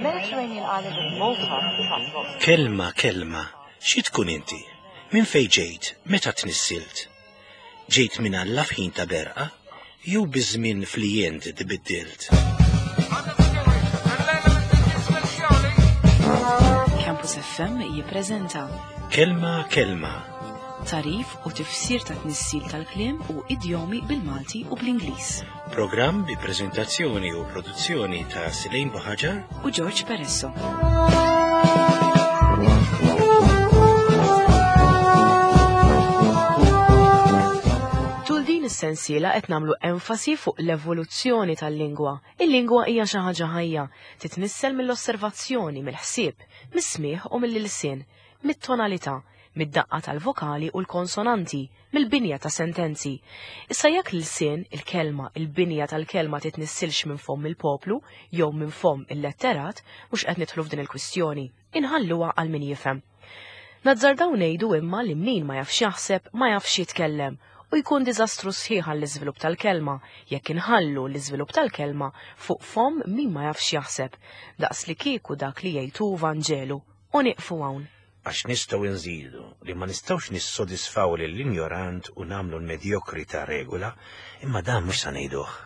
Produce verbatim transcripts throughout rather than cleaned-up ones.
Mediterranean island of Malta attracts lots of Kelma, kelma, xi tkun inti? Min fej ġejt, meta tnissilt? Ġejt minn Alla f'ħin ta' berqa, jew biż-żmien flijent tbiddilt? Campus F M jippreżenta Kelma, kelma, tarif u tifsir ta' tnissil tal-kliem u idjomi bil-Malti u bl-Ingliż. Programm bi preżentazzjoni u produzzjoni ta' Silejn Buħaġar u George Peresso. Tul din is-sensiela qed nagħmlu enfasi fuq l-evoluzzjoni tal-lingwa. Il-lingwa hija xi ħaġa ħajja, titnissel mill-osservazzjoni, mill-ħsieb, mis-smigħ u mill-ilsien, mit-tonalità, mid-daqqa tal-vokali u l-konsonanti, mill-binja ta' sentenzi. Issa jekk l-ilsien, il-kelma, il-binja tal-kelma titnissilx minn fomm il-poplu jew minn fomm il-letterat, mhux qed nidħlu f'din il-kwistjoni. Inħalluha għal min jifhem. Nazzardaw ngħidu imma li min ma jafx jaħseb ma jafx jitkellem u jkun diżastru sħiħ għall-iżvilupp tal-kelma jekk inħallu l-iżvilupp tal-kelma fuq fomm min ma jafx jaħseb, daqs li kieku dak li jgħidu Vanġelu, u nieqfu hawn. Għax nistgħu nżidu li ma nistgħux nissodisfaw lill-injorant u nagħmlu l-medjokrità regola, imma dan mhux sa ngħiduh.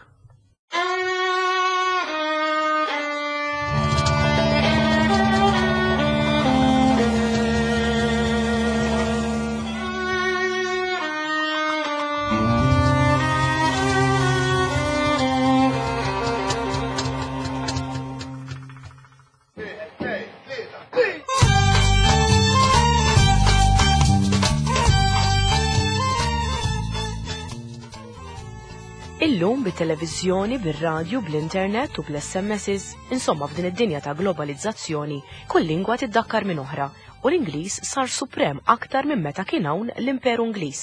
Illum bit-televiżjoni, bir-radju, bl-internet u bl-S M Ss, insomma f'din id-dinja ta' globalizzazzjoni, kull lingwa tiddakkar minn oħra u l-Ingliż sar suprem aktar minn meta kien hawn l-Imperu Ingliż.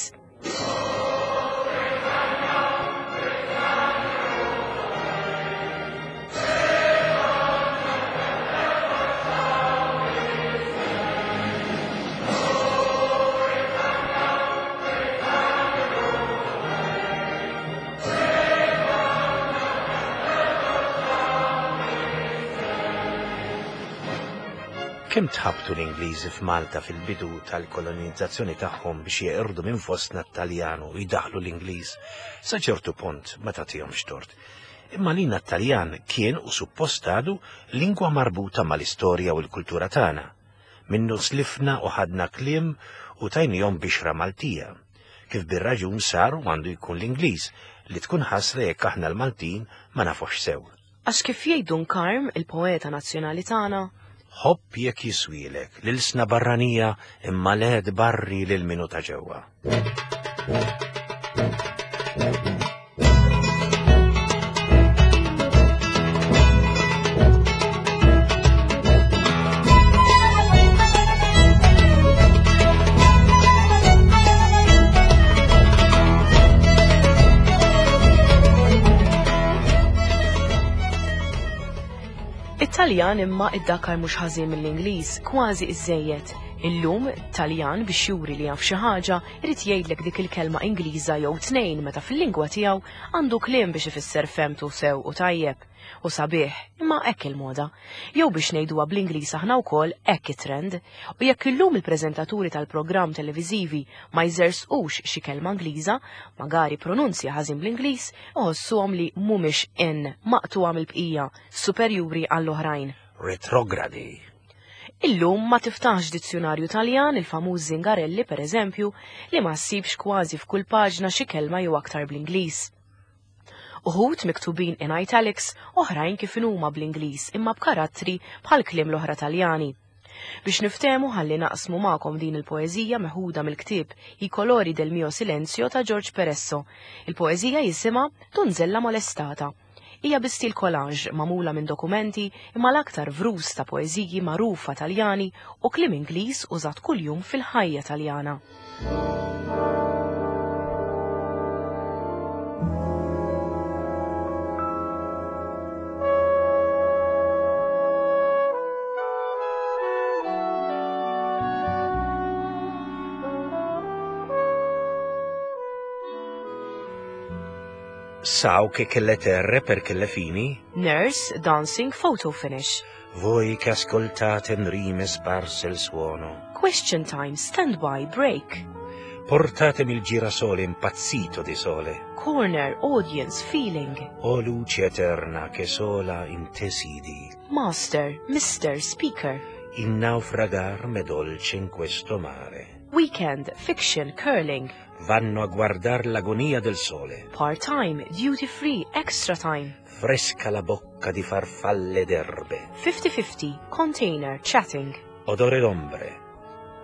Kemm tħabtu l-Ingliżi f'Malta fil-bidu tal-kolonizzazzjoni tagħhom biex jeqirdu minn fostna t-Taljan u jdaħlu l-Ingliż, sa ċertu punt ma tagħtihomx tort. Imma lina t-Taljan kien u suppost għadu lingwa marbuta mal-istorja u l-kultura tagħna. Minnu slifna u ħadna kliem u tajnihom bixra Maltija. Kif bir-raġun sar u għandu jkun l-Ingliż li tkun ħasra jekk aħna l-Maltin ma nafux sew. Għax kif jgħidu Karm, il-poeta nazzjonali tagħna, Ħobb jekk jiswielek l-ilsna barranija imma led barri lil minu ta' ġewwa. It-Taljan imma iddakar mhux ħażin mill-Ingliż, kważi iżejjed. Illum Taljan biex juri li jaf xi ħaġa irid jgħidlek dik il-kelma Ingliża jew tnejn meta fil-lingwa tiegħu għandu kliem biex ifisser femtu sew u tajjeb. U sabiħ, imma hekk il-moda. Jew biex ngħiduha bl-Ingliż aħna wkoll hekk it-trend. U jekk illum il-preżentaturi tal-programm televiżivi ma jżersqux xi kelma Ingliża, magari pronunzja ħażin bl-Ingliż, iħossuhom li mhumiex in maqtuha mill-bqija, superjuri għall-oħrajn. Retrogradi. Illum ma tiftaħx dizzjonarju Taljan, il-famuż Zingarelli per eżempju, li ma ssibx kważi f'kull paġna xi kelma jew aktar bl-Ingliż. Uħud miktubin in italics, oħrajn kif inhuma bl-Ingliż imma b'karattri bħal kliem l-oħra Taljani. Biex niftehmu ħalli naqsmu magħkom din il-poeżija meħuda mill-ktieb I colori del mio silenzio ta' George Peresso. Il-poeżija jisimha Donzella molestata. Hija bi stil collage magħmula minn dokumenti imma l-aktar vrus ta' poeżiji magħrufa Taljani u kliem Ingliż użat kuljum fil-ħajja Taljana. Sau che che le terre perché le fini. Nurse, dancing, photo finish. Voi che ascoltate in rime sparse il suono. Question time, standby, break. Portatemi il girasole impazzito di sole. Corner, audience, feeling. O luce eterna che sola in te sidi. Master, mister, speaker. In naufragar me dolce in questo mare. Weekend, fiction, curling. Vanno a guardar l'agonia del sole. Part-time, duty-free, extra time. Fresca la bocca di farfalle d'erbe. fifty fifty, container, chatting. Odore d'ombre,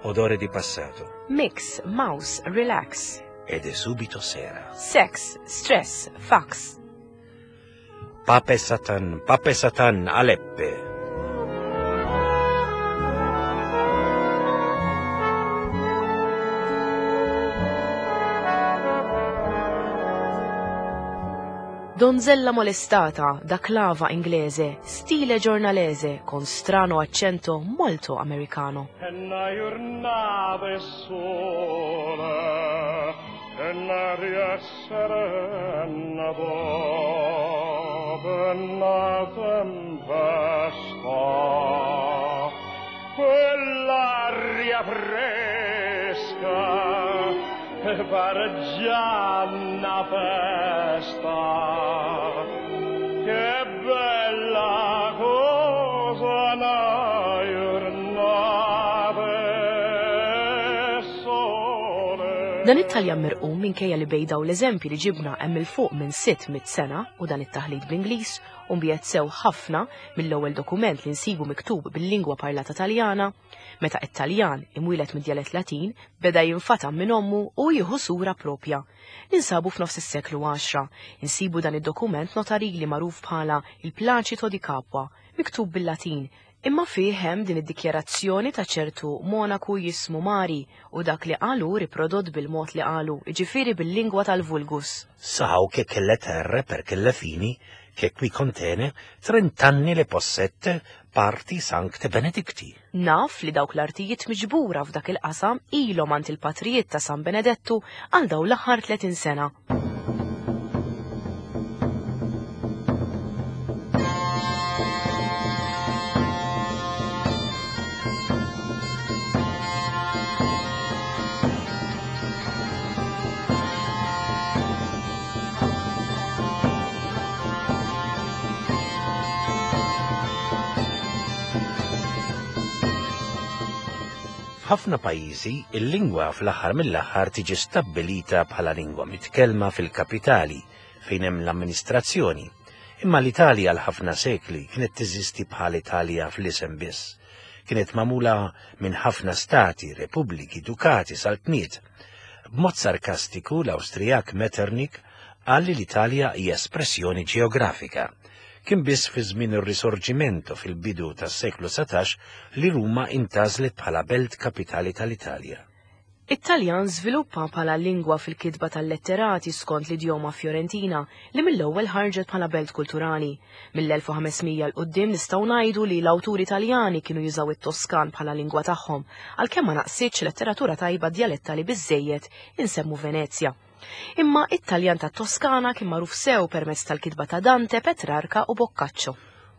odore di passato. Mix, mouse, relax. Ed è subito sera. Sex, stress, fax. Pape Satan, Pape Satan, Aleppe. Donzella molestata da clava inglese, stile giornalese, con strano accento molto americano. E na jurnata 'e sole, e n'aria serena dopo na tempesta, quell'aria fresca che pare già una festa. Che bella cosa na jurnata 'e sole. Dan it-Taljan mirqum, minkejja li bejn daw l-eżempji li ġibna hemm 'il fuq minn sitt mitt sena u dan it-taħlit bl-Ingliż u mbiegħed sew ħafna mill-ewwel dokument li nsibu miktub bil-lingwa parlata Taljana, meta it-Taljan imwieled mid-djalett Latin beda jinfatam minn ommu u jieħu sura propja. Ninsabu f'nofs is-seklu għaxra, insibu dan id-dokument notarili magħruf bħala il-Placito di Capua, miktub bil-Latin, imma fih hemm din id-dikjarazzjoni ta' ċertu monaku jismu Mari u dak li qalu riprodott bil-mod li qalu, jiġifieri bil-lingwa tal-vulgus. Sau che che le terre perché le fini che qui contene trent'anni le possette parti Sancte Benedicti. Naf li dawk l-artijiet miġbura f'dak il-qasam ilhom għand il-patrijiet ta' San Benedettu għal daw l-aħħar tletin sena. F'ħafna pajjiżi, il-lingwa fl-aħħar mill-aħħar tiġi stabbilita bħala lingwa mitkellma fil-kapitali fejn hemm l-amministrazzjoni. Imma l-Italja għal ħafna sekli kienet teżisti bħal Italja fl-isem biss. Kienet magħmula minn ħafna stati, repubbliki, dukati, saltniet. B'mod sarkastiku l-Awstrijak Metternich qal li l-Italja hija espressjoni ġeografika. Kien biss fi żmien ir-Risorgimento fil-bidu tas-seklu satax li Ruma intgħażlet bħala belt kapitali tal-Italja. It-Taljan żviluppa bħala lingwa fil-kitba tal-letterati skont l-idjoma Fiorentina li mill-ewwel ħarġet bħala belt kulturali. Mill-elf u ħames mija 'l quddiem nistgħu ngħidu li l-awturi Taljani kienu jużaw it-Toskan bħala lingwa tagħhom, għalkemm ma naqsitx letteratura tajba djalettali biżejjed insemmu Venezja. Imma it-Taljan ta' Toskana kien magħruf sew permezz tal-kitba ta' Dante, Petrarca u Boccaccio.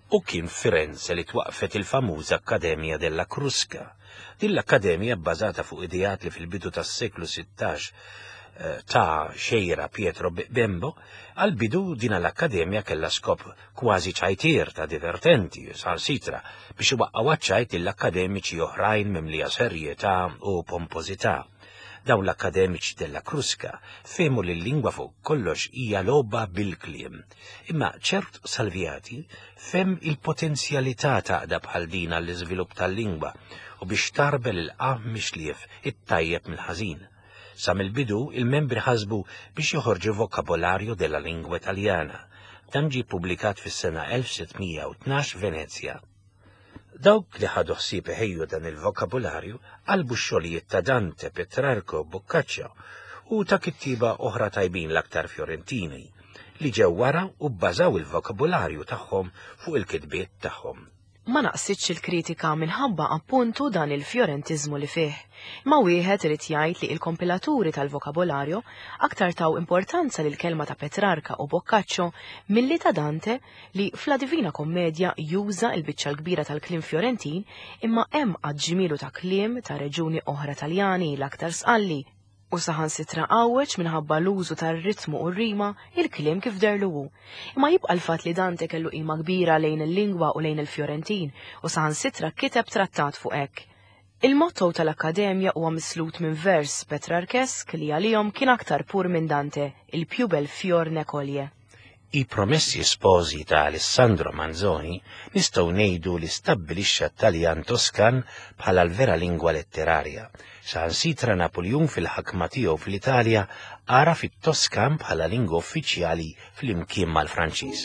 U kien Firenze li twaqfet il-famuża Accademia della Crusca. Din l-akkademja bbażata fuq ideat li fil-bidu tas-seklu sittax, eh, ta' xejra Pietro Bembo, għal-bidu din l-akkademja kellha skop kważi ċajtier ta' divertenti, sal-sitra, biex iwaqqgħu ċajt l-akkademiċi oħrajn mimlija serjetà u pompożità. Dawn l-akkademiċi della Crusca fehmu li l-lingwa fuq kollox hija logħba bil-kliem. Imma ċert Salviati fehem il-potenzjalità taqda bħal din għall-iżvilupp tal-lingwa u biex tarbel il-qam mixlief it-tajjeb mill-ħażin. Sa mill-bidu il-membri ħasbu biex joħorġu vokabolarju della lingwa Italjana. Dan ġie ppubblikat fis-sena elf sitt mija u tnax Venezja. Dawk li ħadu ħsieb iħejju dan il-vokabularju qalbu x-xogħlijiet ta' Dante, Petrarco, Boccaccio u ta' kittieba oħra tajbin l-aktar Fiorentini li ġew wara u bbażaw il-vokabularju tagħhom fuq il-kitbiet tagħhom. Ma naqsitx il-kritika minħabba appuntu dan il-fjorentiżmu li fih. Ma wieħed irid jgħid li il-kompilaturi tal-vokabolarju aktar taw importanza lil kelma ta' Petrarca u Boccaccio milli ta' Dante li fla Divina Kommedja juża l-biċċa l-kbira tal-kliem Fjorentin imma hemm għad ta' kliem ta' reġuni oħra Taljani l-aktar sqalli u saħansitra għawweġ minħabba l-użu tar-ritmu u r-rima il-kliem kif derlu hu. Imma jibqa' l-fatt li Dante kellu qima kbira lejn il-lingwa u lejn il-Fjorentin u saħansitra kiteb trattat fuq hekk. Il-motto tal-Akkademja huwa mislut minn vers Petrarkesk li għalihom kien aktar pur minn Dante, il più bel fior ne coglie. I Promessi Sposi ta' Alessandro Manzoni nistgħu ngħidu li stabbilixxa t-Taljan Toskan bħala l-vera lingwa letterarja. Saħansitra Napoleon fil-ħakma tiegħu fl-Italja għaraf it-Toskan bħala lingwa uffiċjali flimkien mal-Franċiż.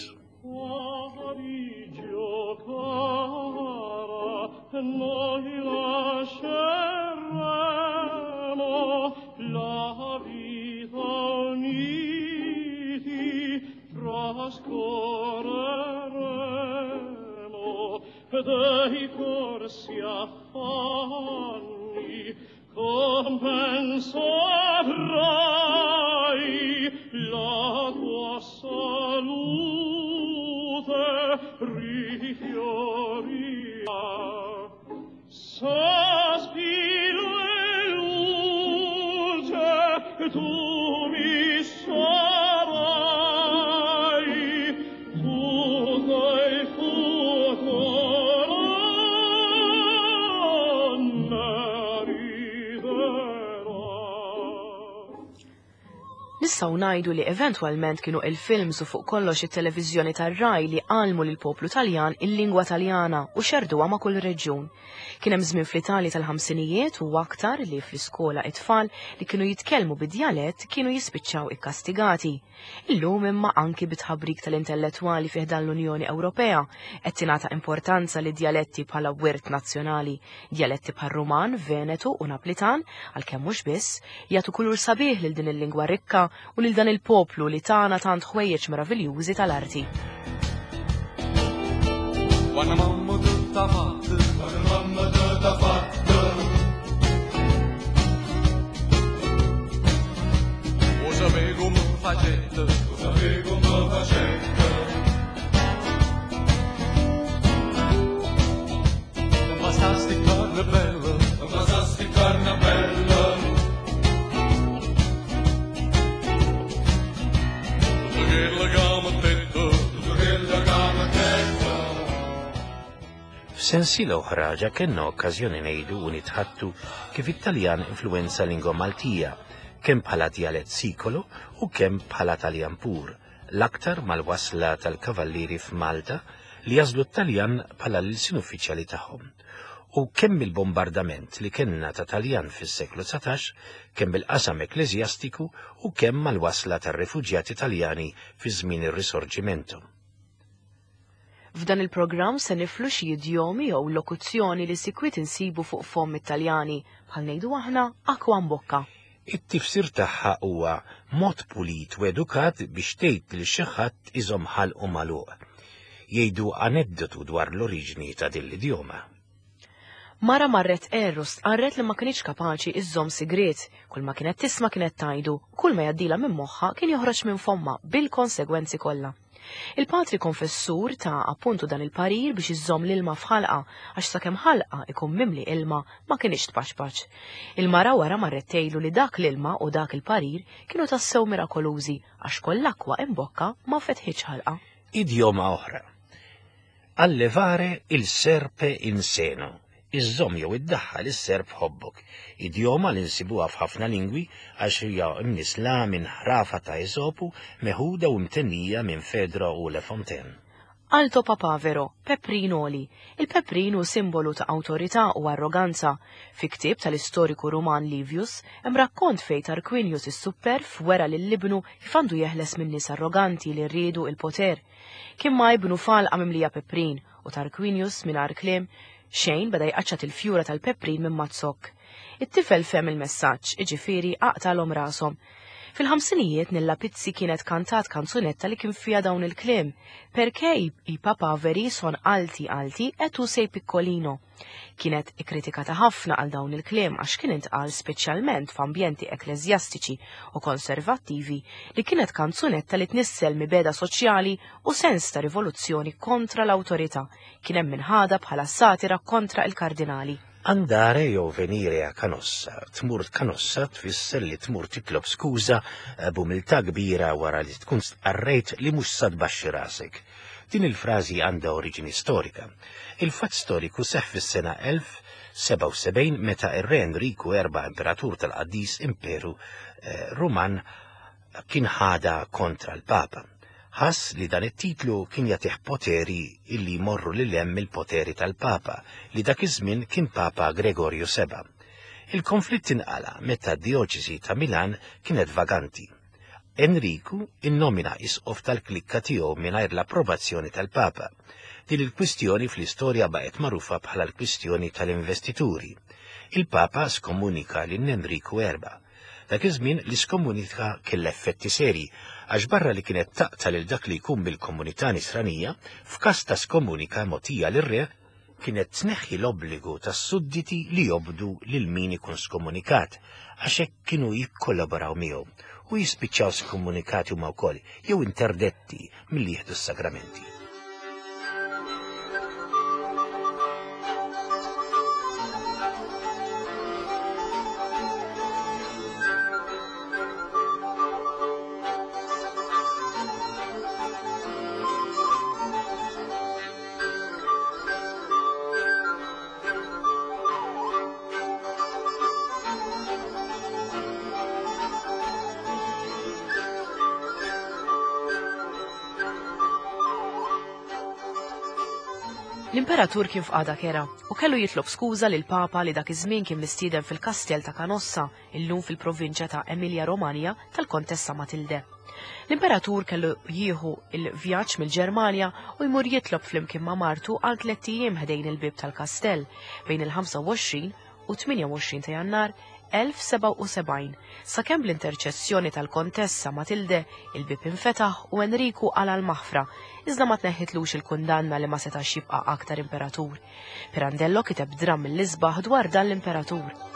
Trascorreremo dei corsi affanni, compenso avrai la tua salute rifiorirà. Sospiro e luce tu mi sarai, tutto il futuro ne riderà. Nistgħu ngħidu li eventwalment kienu il-films u fuq kollox it-televiżjoni tar-Rai li għallmu lill-poplu Taljan il-lingwa Taljana u xerduha ma' kull reġjun. Kien hemm żmien fl-Italja tal-ħamsinijiet u aktar li fl-iskola it-tfal li kienu jitkellmu bid-djalett kienu jispiċċaw ikkastigati. Illum imma anki bitħabrik tal-intellettwali fih dan l-Unjoni Ewropea qed tingħata importanza li djaletti bħala wirt nazzjonali, djaletti bħal Ruman, Venetu u Naplitan, għalkemm mhux biss, jagħtu kulur sabiħ lil din il-lingwa rikka u lil dan il-poplu li tana tant ħwejjeġ meraviljużi tal-arti. Quando mamma tutta fatta, quando mamma tutta fatta. O sapevo come facette, o sapevo come facette. Non passasti carne bella, non passasti carne bella. Tutto quella che mi ha detto, tutto quella che mi ha detto. F'sensiela oħra ġa kellna okkażjoni ngħidu u nitħattu kif it-Taljan influenza lingwa Maltija, kemm bħala djalett sikolo u kemm bħala Taljan pur, l-aktar mal-wasla tal-kavallieri f'Malta li jażlu t-Taljan bħala l-ilsien uffiċjali tagħhom. U kemm il-bombardament li kellna ta' Taljan fis-seklu dsatax, kemm bil-qasam ekkleżjastiku u kemm mal-wasla tar-refuġjati Taljani fi żmien ir-Risorġimento. F'dan il-programm se niflu xi idjomi jew lokuzzjoni li sikwit insibu fuq fomm it-Taljani, bħal ngħidu aħna akwa mbokka. It-tifsir tagħha huwa mod pulit u edukat biex tgħid lil xi ħadd iżomm ħalqu magħluq. Jgħidu aneddotu dwar l-oriġini ta' din l-idjoma. Mara marret erru stqarret li ma kienx kapaċi iżżomm sigriet, kull ma kienet tisma' kienet tajdu, kull ma jgħaddilha minn moħħha kien joħroġ minn fomma bil-konsegwenzi kollha. Il-patri konfessur ta' appuntu dan il-parir biex iżżomm l-ilma f'ħalqa għax sakemm ħalqa ikun mimli ilma ma kienx tpaxpax. Il-mara wara marret tgħidlu li dak l-ilma u dak il-parir kienu tassew mirakolużi għax koll akwa imbokka ma fetħitx ħalqa. Idjoma oħra. Allevare il serpe in seno. Iżżomm jew iddaħħal is-serp f'ħobbok. Idjoma li nsibuha f'ħafna lingwi għax hija mnisla minn ħrafa ta' Esopu meħuda u mtennija minn Fedro u Le Fontaine. Alto papavero, peprinoli. Il-peprin hu simbolu ta' awtorità u arroganza. Fi ktieb tal-istoriku Ruman Livius, hemm rakkont fejn Tarquinius is-Superf wera lil ibnu kif għandu jeħles minn nies arroganti li rridu il-poter. Kien ma ibnu falqa mimlija peprin u Tarquinius mingħajr kliem xejn beda jqaċċat il-fjura tal-peprin minn mazzok. It-tifel fehem il-messaġġ, iġifieri aqtalhom rashom. Fil-ħamsinijiet Nilla Pizzi kienet kantat kanzunetta li kien fiha dawn il-kliem: "Perché i papaveri son alti alti e tu sei piccolino." Kienet ikkritikata ħafna għal dawn il-kliem għax kien intqal speċjalment f'ambjenti ekkleżjastiċi u konservattivi li kienet kanzunetta li tnissel mibeda soċjali u sens ta' rivoluzzjoni kontra l-awtorità. Kien hemm minħada bħala satira kontra il-kardinali. Andare jew venire a Canossa, tmur Canossa tfisser li tmur titlob skuża b'umiltà kbira wara li tkun stqarrejt li mhux sa tbaxxi rasek. Din il-frażi għandha oriġini storika. Il-fatt storiku seħħ fis-sena elf sebgħa u sebgħin meta ir-re Enriku erba' imperatur tal-Qaddis Imperu eh, Ruman kien ħada kontra l-Papa. Ħass li dan it-titlu kien jagħtih poteri illi jmorru lil hemm il-poteri tal-Papa, li dak iż-żmien kien Papa Gregorju seba'. Il-konflitt inqala meta d-dioċesi ta' Milan kienet vaganti. Enriku innomina isqof tal-klikka tiegħu mingħajr l-approvazzjoni tal-Papa. Din il-kwistjoni fl-istorja baqgħet magħrufa bħala l-kwistjoni tal-investituri. Il-Papa skomunika lil Enriku erba'. Dak iż-żmien l-iskomunika kellha effetti seri, għax barra li kienet taqta lil dak li jkun bil-komunità nisranija, f'każ ta' skomunika mogħtija lir-re kienet tneħħi l-obbligu tas-sudditi li jobdu lil min ikun skomunikat, għax hekk kienu jikkollaboraw miegħu u jispiċċaw skomunikati huma wkoll jew interdetti milli jieħdu s-sagramenti. L-imperatur kien f'qagħda kera u kellu jitlob skuża lil Papa li dak iż-żmien kien mistieden fil-kastell ta' Canossa, illum fil-provinċja ta' Emilia Romagna tal-Kontessa Matilde. L-imperatur kellu jieħu il-vjaġġ mill-Ġermanja u jmur jitlob flimkien ma' martu għal tliet ijiem ħdejn il-bieb tal-kastell bejn il-ħamsa u għoxrin u tmienja u għoxrin ta' Jannar elf sebgħa u sebgħin, sakemm bl-interċessjoni tal-Kontessa Matilde il-bieb infetaħ u Enriku qala l-maħfra, iżda ma tneħħitlux il-kundanna li ma setax jibqa' aktar imperatur. Pirandello kiteb dramm mill-isbaħ dwar dan l-imperatur.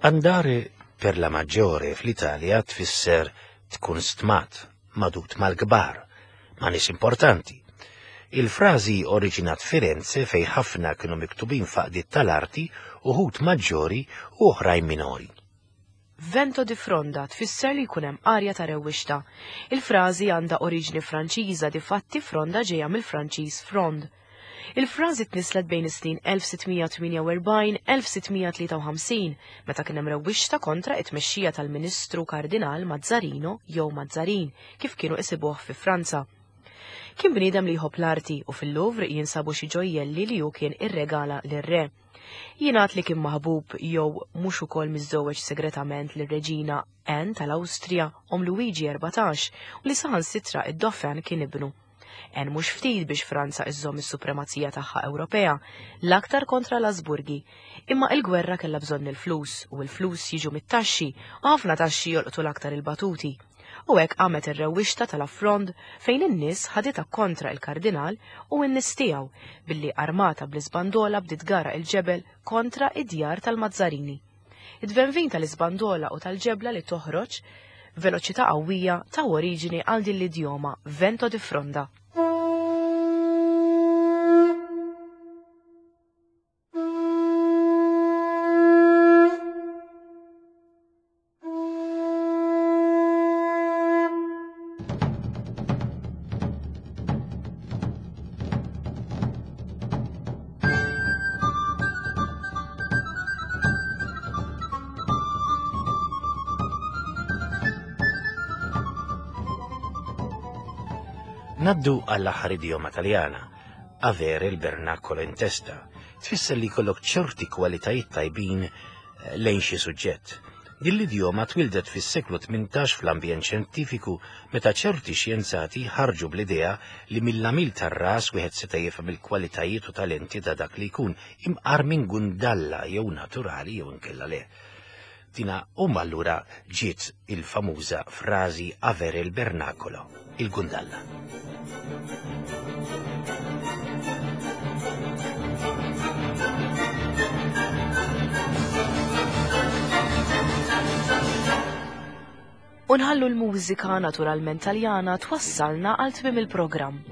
Andare per la maggiore fl-Italja tfisser tkun stmat, madut mal-kbar, ma' nies importanti. Il-frażi oriġinat Firenze fej ħafna kienu miktubin faqdiet tal-arti uħud maġġori u oħrajn minori. Vento di fronda tfisser li jkun hemm arja ta' rewwixta. Il-frażi għandha oriġini Franċiża, difatti fronda ġejja mill-Franċiż frond. Il-frażi tnislet bejn is-snin elf sittmija tmienja u erbgħin elf sittmija tlieta u ħamsin meta kien hemm rewwixta kontra it-tmexxija tal-Ministru Kardinal Mazzarino jew Mazzarin kif kienu isibuh fi Franza. Kien bniedem li jħobb l-arti u fil-Louvre jinsabu xi ġojjelli li hu kien irregala lir-re. Jingħad li kien maħbub jew mhux ukoll miżżewweġ segretament lir-Reġina Anne tal-Awstrija om Luigi erbatax u li saħansitra id-Dauphin kien ibnu. En mhux ftit biex Franza iżżomm is-supremazija tagħha Ewropea, l-aktar kontra l-Asburgi. Imma il-gwerra kellha bżonn il-flus u l-flus jiġu mit-taxxi u ħafna taxxi jolqtu l-aktar il-batuti. U hekk qamet ir-rewwixta tal-Affrond fejn in-nies ħaditha kontra il-kardinal u n-nies tiegħu billi armata bl-isbandola bdiet gara il-ġebel kontra id-djar tal-Mazzarini. Id-dvenvin tal-isbandola u tal-ġebla li toħroġ veloċità qawwija ta' oriġini għal din l-idjoma vento di fronda. Naddu għall-aħħar idjoma Taljana, avere il bernacolo in testa, tfisser li jkollok ċerti kwalitajiet tajbin eh, lejn xi suġġett. Din l-idjoma twildet fis-seklu tmintax fl-ambjent xjentifiku meta ċerti xjenzati ħarġu bl-idea li mill-għamil tar-ras wieħed seta' jifhem il-kwalitajiet u talenti ta' dak li jkun imqar minn gundalla jew naturali jew inkella le. Tina u allura ġiet il-famuża frażi avere il bernacolo, il-gundalla. U nħallu l-mużika naturalment Taljana twassalna għal tmiem il-programm.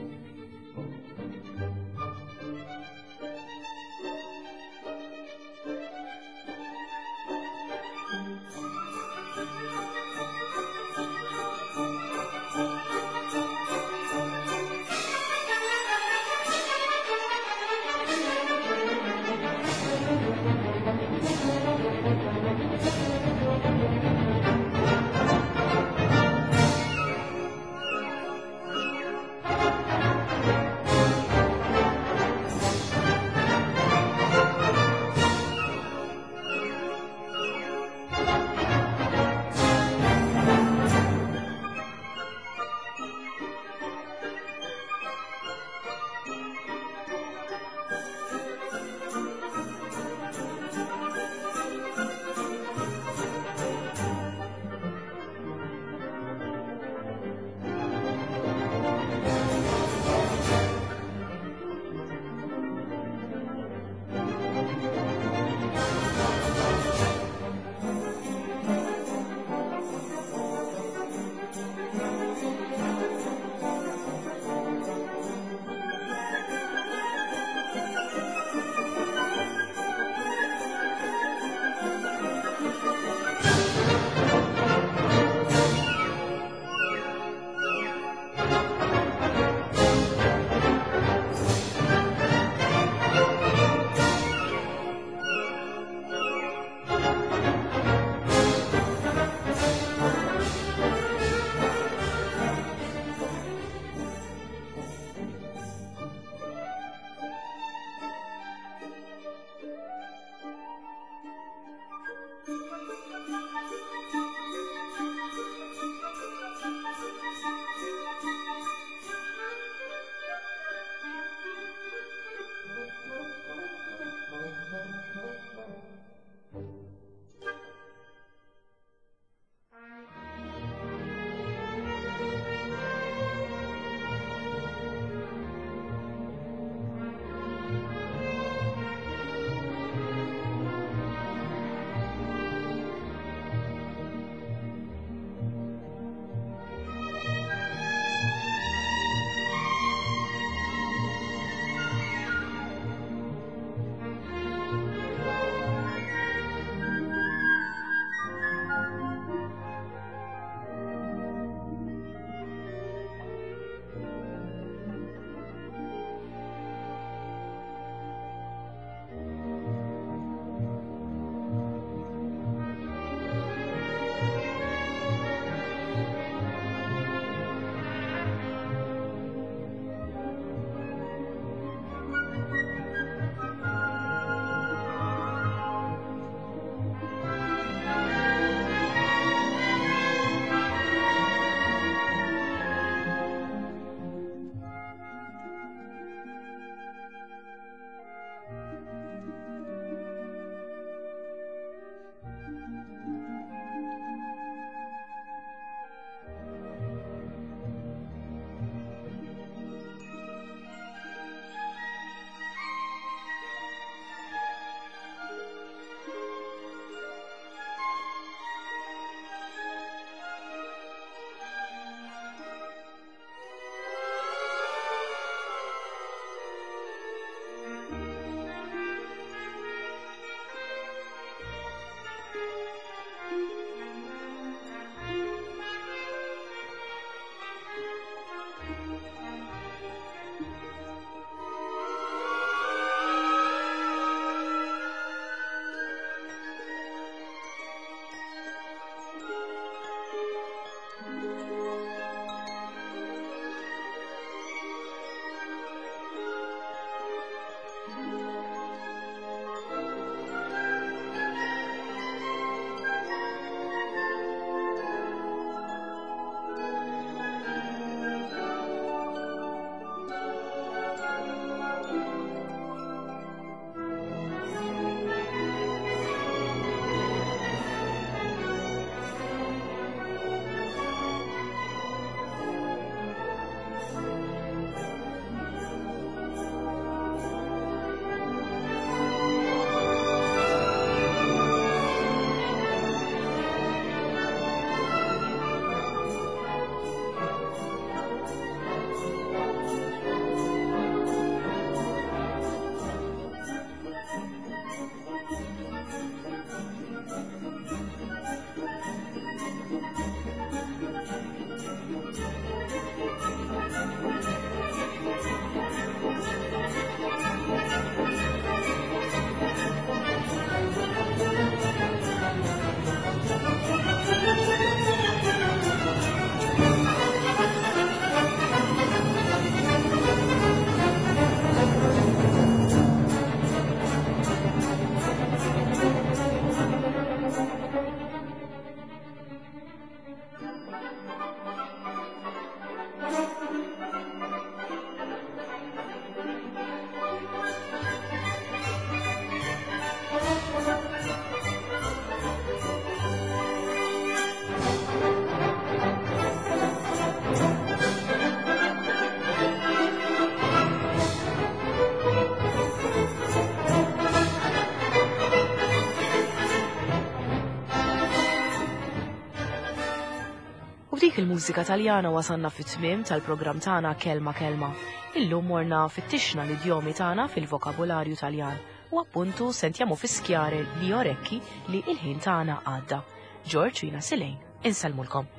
B'dik il-mużika Taljana wasanna fit-tmiem tal-programm tagħna Kelma Kelma. Illum morna fittixna l-idjomi tagħna fil-vokabularju Taljan u appuntu sentiamo fischiare gli orecchi li il-ħin tagħna għadda. George u jiena Silejn, insellmulkom.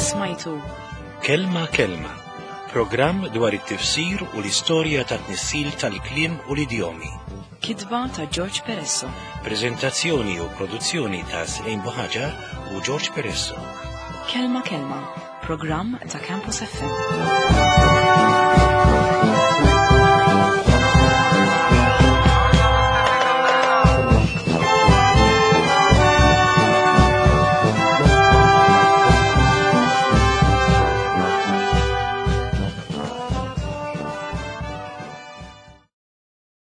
Smajtu Kelma Kelma, programm dwar it-tifsir u l-istorja ta' tnissil tal-kliem u l-idjomi. Kitba ta' George Peresso. Prezentazzjoni u produzzjoni ta' Slejn Buħaġar u George Peresso. Kelma Kelma, programm ta' Campus F M.